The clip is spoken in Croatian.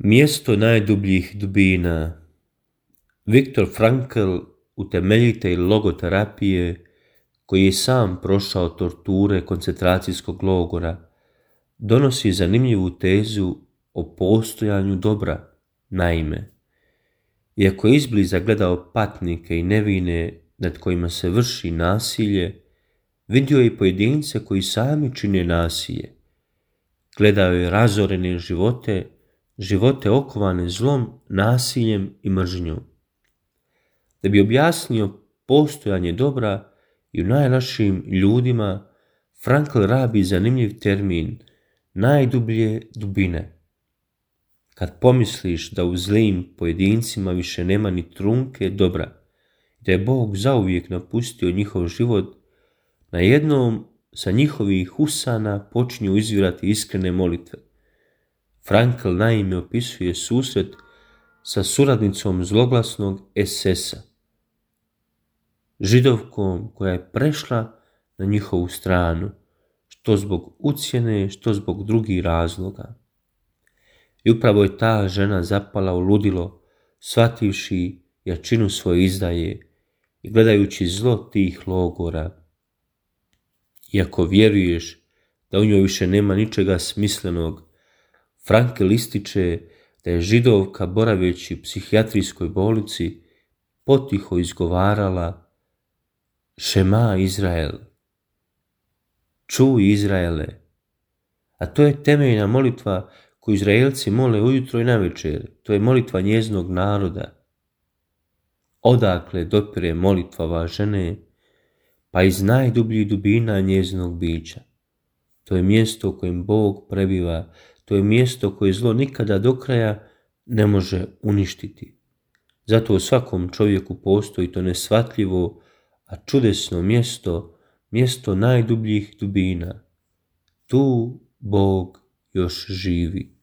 Mjesto najdubljih dubina. Viktor Frankl, utemeljitelj logoterapije, koji je sam prošao torture koncentracijskog logora, donosi zanimljivu tezu o postojanju dobra. Naime, iako je izbliza gledao patnike i nevine nad kojima se vrši nasilje, vidio je i pojedince koji sami čine nasilje. Gledao je razorene živote okovane zlom, nasiljem i mržnjom. Da bi objasnio postojanje dobra i u najlošijim ljudima, Frankl rabi zanimljiv termin najdublje dubine. Kad pomisliš da u zlim pojedincima više nema ni trunke dobra, da je Bog zauvijek napustio njihov život, najednom sa njihovih usana počinju izvirati iskrene molitve. Frankl naime opisuje susret sa suradnicom zloglasnog SS-a, Židovkom koja je prešla na njihovu stranu, što zbog ucjene, što zbog drugih razloga. I upravo je ta žena zapala u ludilo, shvativši jačinu svoje izdaje i gledajući zlo tih logora. Iako vjeruješ da u njoj više nema ničega smislenog, Frankl ističe da je Židovka, boraveći u psihijatrijskoj bolnici, potiho izgovarala Šema Izrael, čuj Izraele. A to je temeljna molitva koju Izraelci mole ujutro i navečer. To je molitva njezinog naroda. Odakle dopire molitva ove žene? Pa iz najdubljih dubina njezinog bića. To je mjesto u kojem Bog prebiva, to je mjesto koje zlo nikada do kraja ne može uništiti. Zato u svakom čovjeku postoji to neshvatljivo, a čudesno mjesto najdubljih dubina. Tu Bog još živi.